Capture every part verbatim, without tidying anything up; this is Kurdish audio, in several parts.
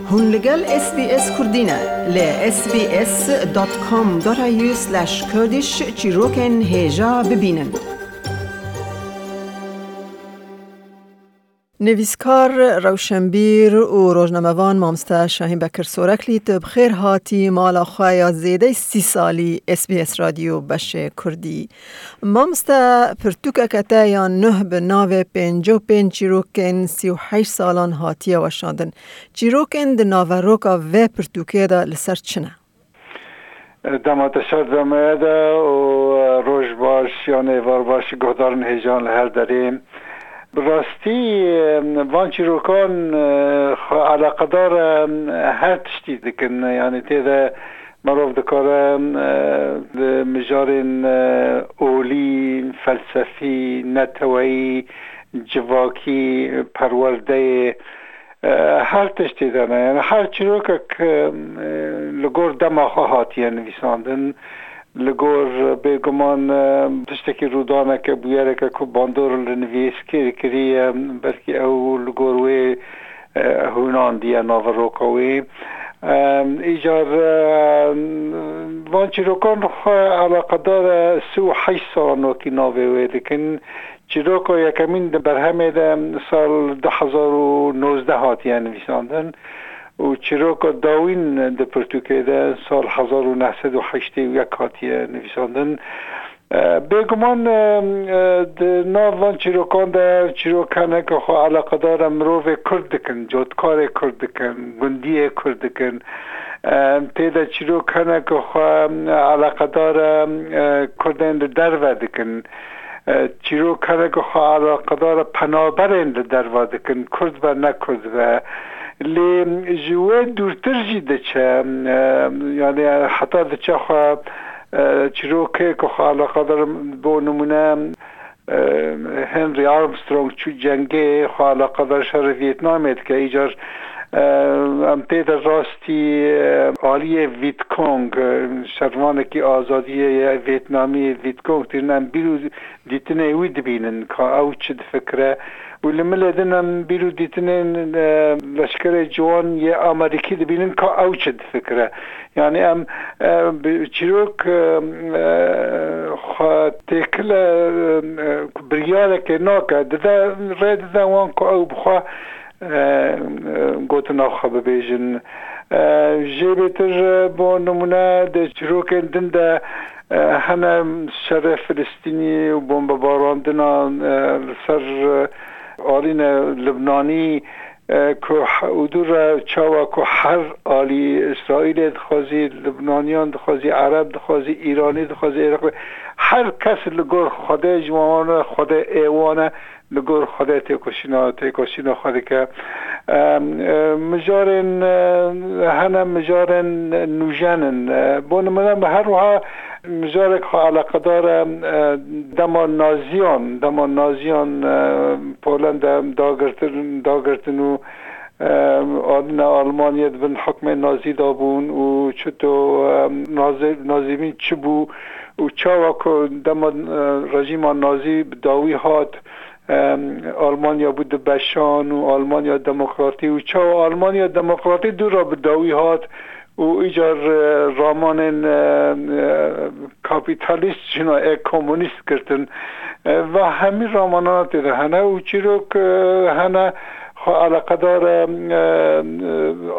Hûn li gel S B S Kurdî ne. Li S B S dot com dot A U slash Kurdish çîrokên hêja bibînin. Nivîskar, rewşenbîr û rojnamevan mamoste Şahîn Bekir Soreklî, tu bi xêr hatî mala xwe ya zêdeyî sî salî S B S Radyo Beşê Kurdî. Mamoste, pirtûkeke te ya nuh bi navê pêncî û pênc çîrokên sî û heşt salan hatiye weşandin. Çîrokên di naveroka vê pirtûkê de li ser çi ne? Dema te şer di me de û roj baş yan êvar baş guhdarên hêjan li her derê. Bi rastî, van çîrokan xwe eleqedar her tiştî dikin. Yanî tê de Merov dikare, e, li mijarên, e, olî, felsefî, neteweyî, civakî, perwerdeyê, e, her tiştê de ne. Yani her çîrokek, e, li gor dema xwe hatiye nivîsandin. Li gor bêguman, e, tiştekî rûdaneke, bûyereke ku bandor li nivîskêr kiriye, belkî ew li gor wê e, hûnandiye naveroka wê. E, îcar, e, van çîrokan xwe eleqedar e sî û heşt salan wekî navê wê dikin. Çîroka yekemîn di berhemê de sal du hezar û nozdeh hatiye nivîsandin û çîroka dawîn di pirtûkê de sal hezar û neh sed û heştê û yek hatiye nivîsandin. E, bêguman, e, e, di nav van çîrokan de çîrok hene ku xwe eleqedar e mirovê Kurd dikin, cotkarê Kurd dikin, gundiyê Kurd dikin. E, tê de çîrok hene ku xwe, e, eleqedar e, e, Kurdên li derve dikin. E, çîrok hene ku xwe eleqedar e penaberên li derve dikin, Kurd be ne Kurd be. Lê ji wê dûrtir jî diçe, e, yani heta diçe xwe E, çîrokê ku xwe eleqedar, bo nimûne, e, Henry Armstrong çû cengê, xwe eleqedar şerê Vîetnamê dike. Îcar, e, em tê de rastî, e, aliyê Viet Cong, e, şervanekî azadiyê ye Vîetnamî, Viet Cong tînin, em bîr û dîtinê wî dibînin, ka ew çi difikire. Û li milê din em bîr û dîtinên, e, leşkerê ciwan yê Amerîkî dibînin, ka ew çi difikire. Yani em, e, bi çîrok, e, e, xwe têkile, e, e, biryarekê nake, dide, rê dide wan ku ew bi xwe, e, e, gotina xwe bibêjin. E, jê bêtir, e, bo nimûne di çîrokên din de, e, hene şerê Filistînî û bombebarandina, e, li ser, e, alîne Libnanî, e, ku he-, û dû re çawa ku her alî Îsraîlê dixwazî, Libnaniyan dixwazî, Ereb dixwazî, Îranî dixwazî, Iraqlî, her kes li gor Xwedê ji wan e, Xwedê ê wan e, li gor Xwedê têkoşîna, têkoşîna xwe dike. Em, e, mijarên, e, hene mijarên nûjen in. E, bo nimûne, her wiha mijarek xwe eleqedar e, e, dema Naziyan, dema Naziyan, e, Polenda dagirtin, dagirtin û, e, adine Almanya di bin hukmê Nazî de bûn û çito, e, Nazi-, Nazîmî çi bû û çawa ku dema, e, rejîma Nazî bi dawî hat, e, Almanya bû di beşan û Almanya Demokratî û çawa Almanya Demokratî dû re bi dawî hat û îcar, e, ramanên, e, e, kapîtalîst jina ê komunîst girtin. E, va hemî ramanana tê de hene û çîrok, e, hene xwe eleqedar e, e, e,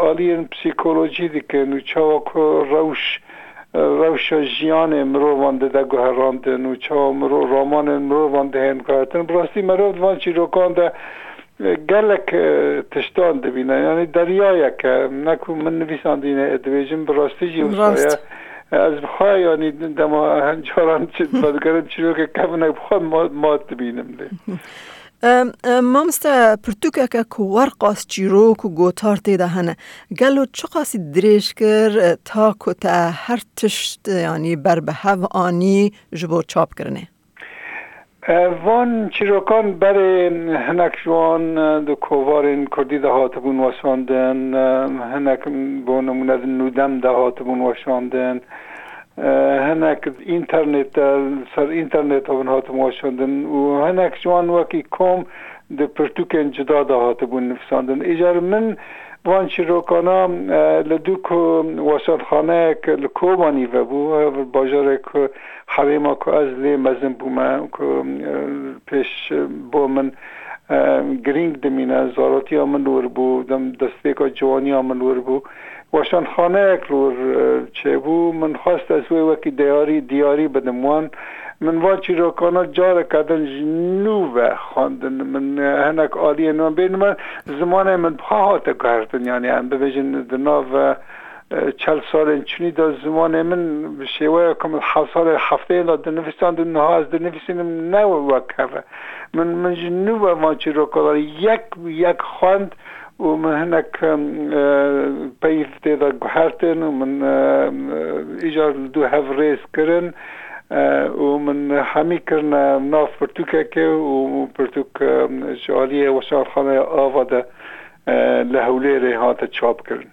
aliyên psîkolojî dikin û çawa ku rewş, e, rewşa jiyanê mirovan dide guherandin û çawa miro-, ramanên mirovan dihên guhertin. Bi rastî merov di van çîrokan de gelek, e, tiştan dibîne. Yanî deryayek e. Ne ku min nivîsandîne, e, dibêjim, bi rastî jî wisa ye. Rast. E, ez bi xwe, yanî dema hin caran çi, vedigerim çîrokek kevin, e, bi xwe ma-, mat dibînim lê. Em, em, mamoste, pirtûkeke ku werqas çîrok û gotar tê de hene. Gelo çiqasî dirêj kir, e, ta ku te her tişt, e, yanî ber bi hev anî ji bo çapkirinê? E, van çîrokan berê hinek ji wan, e, di kovarên kurdî de hatibûn weşandin, e, hinek bo nimûne di Nûdem de hatibûn weşandin. e, hinek înternet de, ser înternet de min hatin weşandin û hinek ji wan wekî kom di pirtûkên cuda de hatibûn nivîsandin. Îcar min van çîrokana, e, li dû ku weşanxaneyek li Kobanî vebû, hev bajarek ku herêma ku ez lê mezin bûme, ku, e, pêş bo min, e, girîng dimîne, zarotiya min li wir bû, dem destpêka ciwaniya min li wir bû. Weşanxaneyek li wir, e, çêbû. Min xwest ez wê wekî diyarî, diyarî bidim wan. Min van çîrokana careke din ji nû ve xwendin. Min, e, hinek aliyên wan bên me, zimanê min bi xwe hate guhertin. Yanî em bibêjin di nav, e, e, çel salên çûnî de zimanê min bi şêweya ku min heft salê hefteyê de dinivîsand û niha ez dinivîsînim ne wek hev e. Min, min ji nû ve van çîrokan yek yek xwend û min hinek, e, peyv tê de guhertin û min, e, e, îcar li dû hev rêz kirin, e, û min hemî kirine nav pirtûkekê û pirtûk, e, ji aliyê Weşanxaneya Ava de, e, li Hewlêrê hate çapkirin.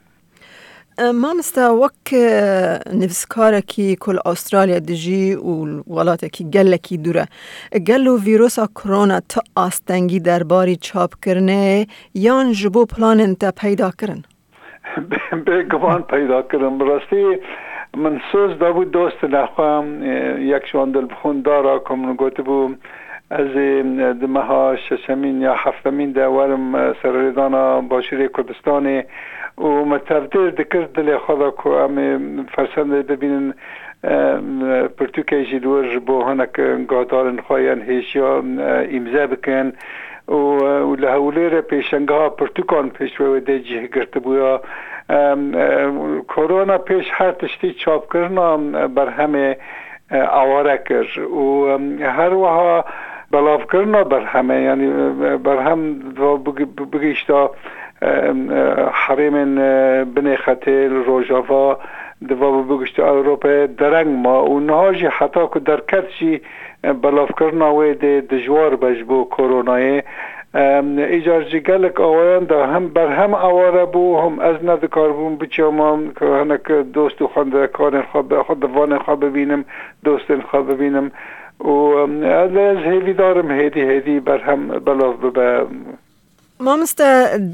E, mamoste, wek, e, nivîskarekî ku li Astralya dijî û li welatekî gelekî dûr e, gelo vîrusa korona tu astengî derbarî çapkirinê yan ji bo planên te peyda kirin? Bê-, bêguman peyda kirin. Bi rastî min soz dabû dostine xwe, e, yek ji wan dilbixwîndara ku min gotibû, ez ê, e, di meha şeşemîn ya heftemîn de werim, e, serhêdana Başûrê Kurdistanê û me tevdêr dikir dilê xwe de ku em ê fersendê bibînin, e, pirtûkê jî li wir ji bo hinek guhdarên xwe yên hêjiya, e, îmze bikin û, e, û li Hewlêrê pêşangeha pirtûkan pêşwê wê dê cih girtibûya. E, e, korona pêş her tiştî çapkirina, e, berhemê, e, aware kir û, e, her wiha belavkirina berhemê, yanî, e, berhem di va bigi-, bigihişta, e, e, herêmên, e, binê xetê li Rojava, di va bigihişta Ewropayê dereng ma û niha jî heta ku derket jî, e, belavkirina wê dê dijwar be ji bo koronayê. Em, îcar ji gelek awayan de hem berhem aware bû, hem ez nedikaribûm biçama ku hinek dost û xwendekarên xwe bi xwe, divanên xwe bibînim, dostên xwe bibînim. Û, em, ez hêvîdar im hêdî hêdî berhem belav bibe. Mamoste,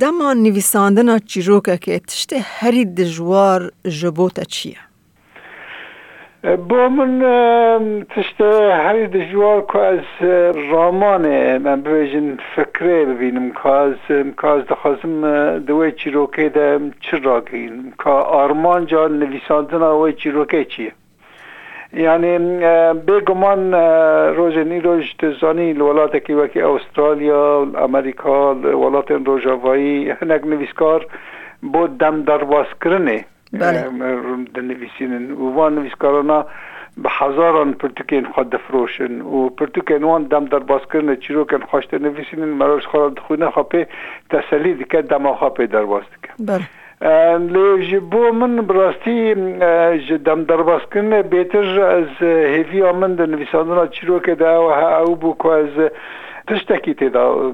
dema nivîsandina çîrokekê tiştê herî dijwar ji bo te çi ye? E, bo min, e, tiştê herî dijwar ku ez, e, ramanê, em bibêjin fikrê bibînim, ka ez, ka ez dixwazim, e, di wê çîrokê de çi ragihînim, ka armanca nivîsandina wê çîrokê çi ye? Yanî, e, bêguman, e, rojên îroj tu zanî li welatekî wekî Awustralya, Amerîka, li welatên rojavayî hinek nivîskar bo dem derbazkirinê, Belê. e, dinivîsînin û van nivîskarana bi hezaran pirtûkên xwe difiroşin û pirtûkên wan dem derbazkirinê çîrokên xwe ji te nivîsînin, meroj xwe re dixwîne xwe pê teselî dike, dema xwe pê derbaz dike. Belê. E, lê ji bo min bi rastî, e, ji dem derbazkirinê bêtir ez, e, hêviya min di nivîsandina çîrokê de ew, he, ew bû ku ez, e, tiştekî tê de, e,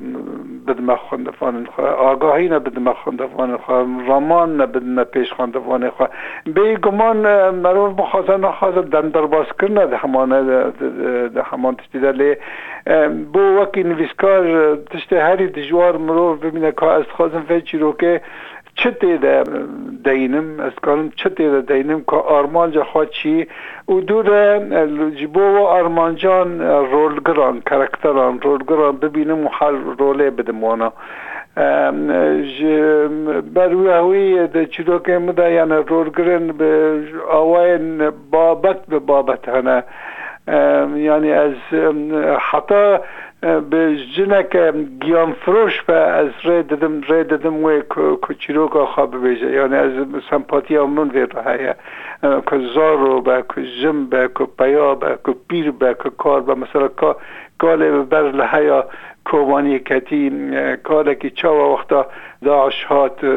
bidime xwendevanên xwe, agahî ne bidime xwendevanên xwe, raman ne bidime pêş xwendevanê xwe. Bêguman, e, merov bixwaze nexwaze dem derbazkirine di hemane de, di, di, di heman tiştî de lê, e, bo wekî nivîskar, e, tiştê herî dijwar mirov bibîne ka ez dixwazim vê çîrokê çi tê de deynim, ez dikarim çi tê de deynim, ka armanca xwe çi û dû de, e, ji bo we armancan, e, rolgiran, karakteran, rolgiran bibînim û her rolê bidim wana. Em, ji ber wî hewî di çîrokên min de, yani rolgirên bi awayên babet bi babet hene. Em, yani ez, em, heta e, bi jineke giyanfiroş be, ez rê didim, rê didim wê ku, ku çîroka xwe bibêje. Yani ez sempatiya min vê re heye. E, ku zaro be, ku jin be, ku peya be, ku pîr be, ku kal be. Mesela ka, kalê bi ber li heya kovaniyê ketî, e, kalekî çawa wexta DAIŞ hat, e,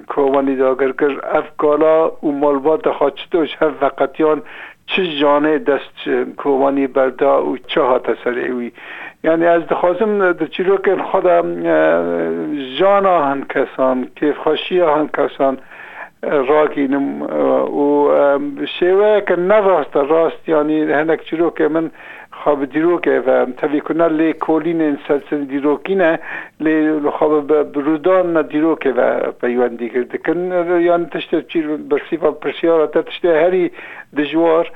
kovanî dagir kir, ev kala û malbata xwe çito ji hev veqetiyan, çi janê dest ji kovanî berda û çi hate serê wî. Yani ez dixwazim di çîrokên xwe de, e, jana hin kesan, kêfxweşiya hin kesan, e, ragînim, e, û, e, bi şêweyeke ne rast e, rast, yanî hinek çîrokê min xwe bi dîrokê ve, em tevî ku ne lêkolînên sersin dîrokî ne, lê li xwe bi, bi, bi rûdan ne dîrokê ve peywendî kir dikin. Yanî tiştê çîr, bersîva pirsyara te tiştê herî dijwar,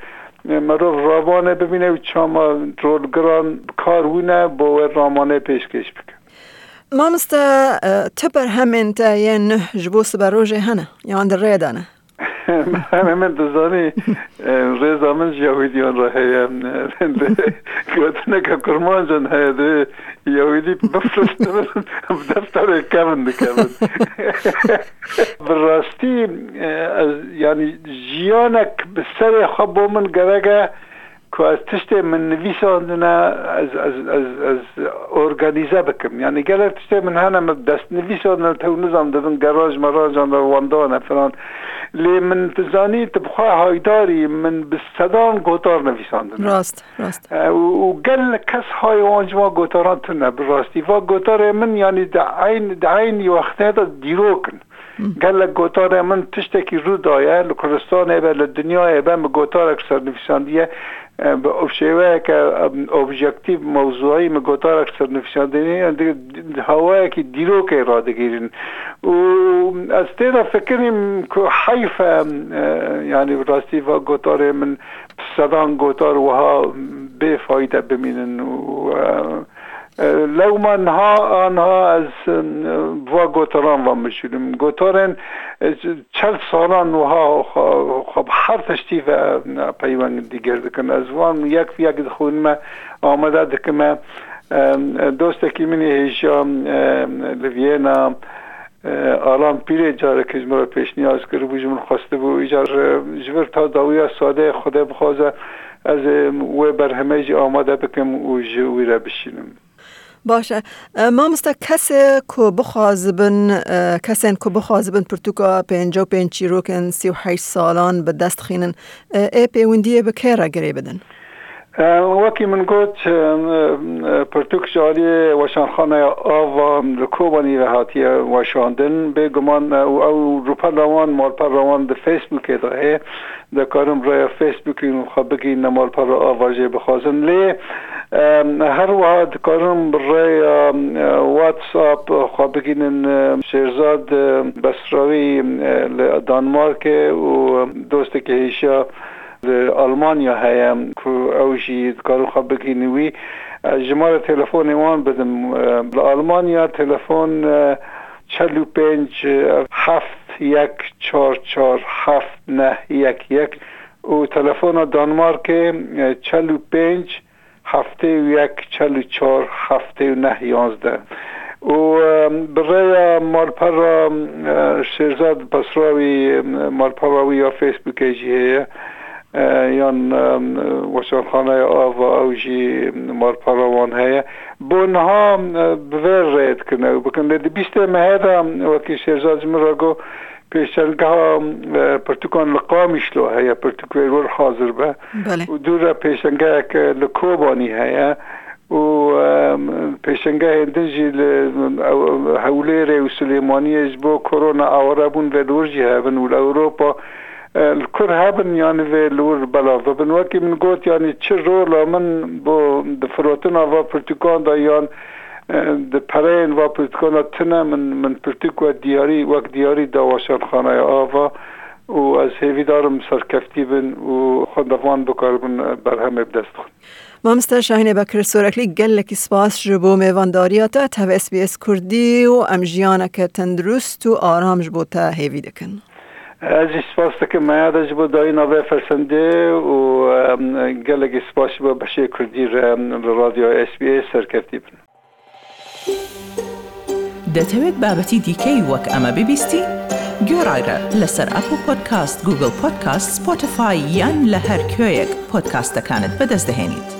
e, merov ramane bibîne û çama rolgiran bi kar wîne bo wê ramanê pêşkêş bike. Mamoste, e, tu berhemên te yên nuh ji bo siberojê hene, yan di rê de ne? Berhemê min dizanî, e, rêza min ji Yahûdiyan re heye. Gotineke kurmancan heye, di Yahûdî bifirînin, bi defterê kevin dikevin. Bi rastî, e, ez, yanî jiyanek bi serê xwe bo min gerek e, ku ez tiştê min nivîsandine, ez, ez, ez, ez organîze bikim. Yanî gelek tiştê min hene min destnivîsandine, tew nizam dibin gerajan merajan de wendane filan. Lê min dizanî tu bi xwe haydarî, min bi sedan gotar nivîsandine. Rast, rast. E, û, û gelek kes hay wan ji wan gotaran tune bi rastî. Va gotarê min, yanî di eyn, di eynî wextê de dîrok in. Gelek gotarê min tiştekî rû daye, li Kurdistanê be, li dinyayê be, min gotarek sernivîsandiye, e, bi şêweyeke, em, objektîf, mewzûî min gotarek sernivîsandiye, di, di hawayekî dîrokê radigihînin. Û ez tê de fikirîm ku heyf e, em, e, yanî bi rastî va gotarê min bi sedan gotar wiha bê fayde bimînin û, e, E, lewma niha, aniha ez, e, va gotaran va mijûlim. Gotarên, e, çel salan wiha xwe, xwe bi her tiştî ve, e, peywendî gir dikin. Ez van yek bi yek dixwînime, amade dikime. E, e, dostekî min ê hêja, e, li Viyena, E, Alan Pîrê careke ji min re pêşniyaz kiribû, ji min xwestibû, îcar, e, ji vir ta dawiya sade Xwedê bixwaze, ez, e, wê berhemê jî amade bikim û ji wî re bişînim. Baş e. E, mamoste, kesê ku bixwazibin, e, kesên ku bixwazibin pirtûka pêncî û pênc çîrokên sî û heşt salan bi dest xînin, e, ê pêwendiyê bi kê re girê bidin? E, wekî min got, e, e, pirtûk ji aliyê Weşanxaneya Ava li Kobanî ve hatiye weşandin. Bêguman, e, û ew rûpela wan, malpera wan di Facebookê de heye. Dikarin bi rêya Facebookê xwe bigihînin malpera Ava jê bixwazin. Lê, e, her wiha dikarin bi rêya, e, WhatsApp xwe bigihînin, e, Şêrzad, e, Besrawî, e, li Danmarkê û dostekî hêşa li Almanya heye ku ew jî dikarin xwe bigihînin wî. Ez jimarê telefonê wan bidim. Li Almanya telefon, e, çel û pênc, e, heft yek çar çar heft neh yek yek û telefona Danmarkê, e, çel û pênc heftê û yek çel û çar heftê û neh yanzdeh. Û, e, bi rêya malpera, e, Şêrzad Besrawî, e, malpera wî ya Facebookê jî heye, e, yan, e, Weşanxaneya Ava, ew jî malpera wan heye. Bo niha, e, bi vê rê dikin ew bikin. Lê di bîstê mehê de, wekî Şêrzad ji min re got, pêşengeha, e, pirtûkan li Qamişlo heye, pirtûk wê li wir hazir be. Belê. Û dû re pêşengehek, e, li Kobanî heye. Û, e, pêşengehên din jî li, ew, Hewlêrê û Silêmaniyê ji bo korona aware bûn vê li wir jî hebin û li Ewropa, e, li kur hebin, yanî vê li wir belav bibin. Wekî min got, yanî çi rola min bo di firotina va pirtûkan de yan E, di pereyên va pirtûkana tune min, min pirtûk wek diyarî, wek diyarî da Weşanxaneya Ava û ez hêvîdar im serkeftî bin û xwendevan bikaribin berhemê bi dest bixin. Mamoste Şahînê Bekir Soreklî, gelekî spas ji bo mêvandariya te. Tev S B S Kurdî û em jiyaneke tendurist û aram ji bo te hêvî dikin. Ez jî spas dikim me ya de ji bo dayîna vê fersendê û, em, gelekî spas ji bo beşê Kurdî re, em, li Radyo S B S serkeftî bin. دەتەوێت بابەتی دیکەی وەک ئەمە ببیستی؟ گوێڕایرە لەسەر ئەپڵ پۆدکاست، گوگڵ پۆدکاست، سپۆتیفای یان لە هەر کوێیەک پۆدکاستەکانت بەدەست دەهێنیت.